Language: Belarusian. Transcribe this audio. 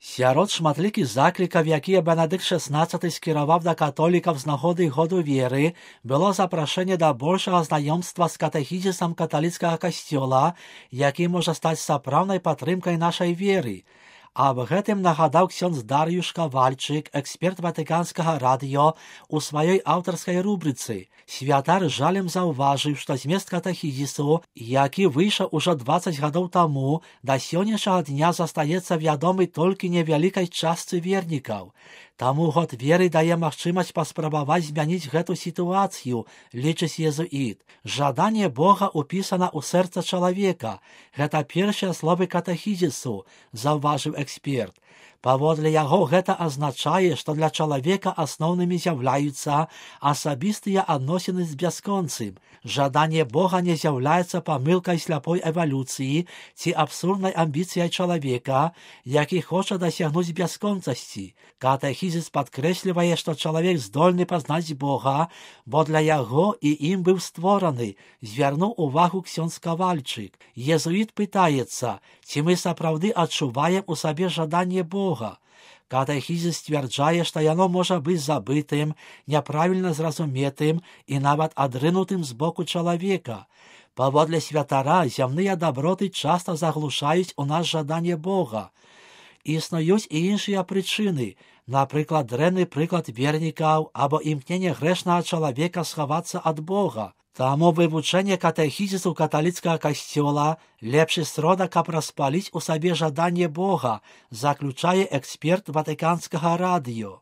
Сярод шматлікіх заклікаў, якія Бенедыкт XVI скіраваў да католікаў з нагоды году веры, было запрашэнне да большага знаёмства з катэхізісам каталіцкага касцёла, які можа стаць сапраўднай падтрымкай нашай веры. Аб гэтым нагадаў ксёндз Дар'юш Кавальчык, эксперт Ватыканскага радыё, у сваёй аўтарскай рубрыцы. Святар жалем заўважыў, што змест катэхізісу, які выйшаў ужо 20 гадоў таму, да сённяшняга дня застаецца вядомы толькі невялікай частцы вернікаў. Таму год веры дае магчымасць паспрабаваць змяніць гэту сітуацыю, лічыць езуіт. Жаданне Бога ўпісана ў сэрца чалавека. Гэта першыя словы катэхізісу, заўважыў эксперт. Паводле яго гэта азначае, што для чалавека асноўнымі з'яўляюцца асабістыя адносіны з бясконцым. Жаданне Бога не з'яўляецца памылкай сляпой эвалюцыі ці абсурднай амбіцыяй чалавека, які хоча дасягнуць бясконцасці. Катэхізіс падкрэслівае, што чалавек здольны пазнаць Бога, бо для яго і ім быў створаны, звярнуў увагу ксёндз Кавальчык. Езуіт пытаецца, ці мы сапраўды адчуваем у сабе жаданне Бога. Катэхізіс сцвярджае, што яно можа быць забытым, няправільна зразуметым і нават адрынутым з боку чалавека. Паводле святара, зямныя даброты часта заглушаюць у нас жаданне Бога. Існуюць і іншыя прычыны, напрыклад, дрэнны прыклад вернікаў або імкненне грэшнага чалавека схавацца ад Бога. Таму вывучэнне катэхізісу каталіцкага касцёла лепшы сродак, каб распаліць у сабе жаданне Бога, заключае эксперт Ватыканскага радыё.